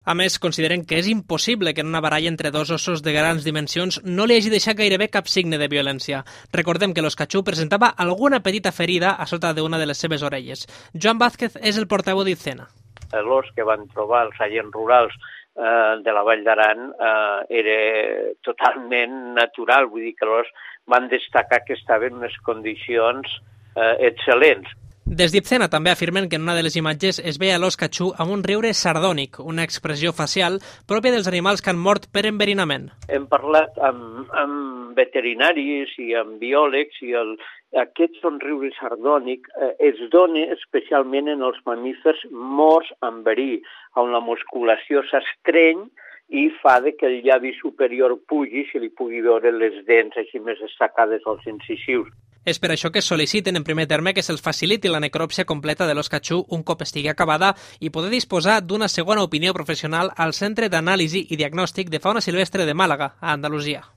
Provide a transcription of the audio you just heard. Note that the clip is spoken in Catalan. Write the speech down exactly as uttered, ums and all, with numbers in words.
A més, consideren que és impossible que en una baralla entre dos ossos de grans dimensions no li hagi deixat gairebé cap signe de violència. Recordem que l'Oscatxú presentava alguna petita ferida a sota d'una de les seves orelles. Joan Vázquez és el portaveu d'Icena. L'os que van trobar els agents rurals eh, de la Vall d'Aran eh, era totalment natural, vull dir que l'os van destacar que estava en unes condicions eh, excel·lents. Des d'Icena també afirmen que en una de les imatges es veia l'Oscatxú amb un riure sardònic, una expressió facial pròpia dels animals que han mort per enverinament. Hem parlat amb, amb veterinaris i amb biòlegs i el, aquest somriure sardònic eh, es dona especialment en els mamífers morts amb verí, on la musculació s'estreny i fa de que el llavi superior pugi i se li pugui veure les dents així més destacades als incisius. És per això que sol·liciten en primer terme que se'ls faciliti la necròpsia completa de l'Oscatxú un cop estigui acabada i poder disposar d'una segona opinió professional al Centre d'Anàlisi i Diagnòstic de Fauna Silvestre de Màlaga, a Andalusia.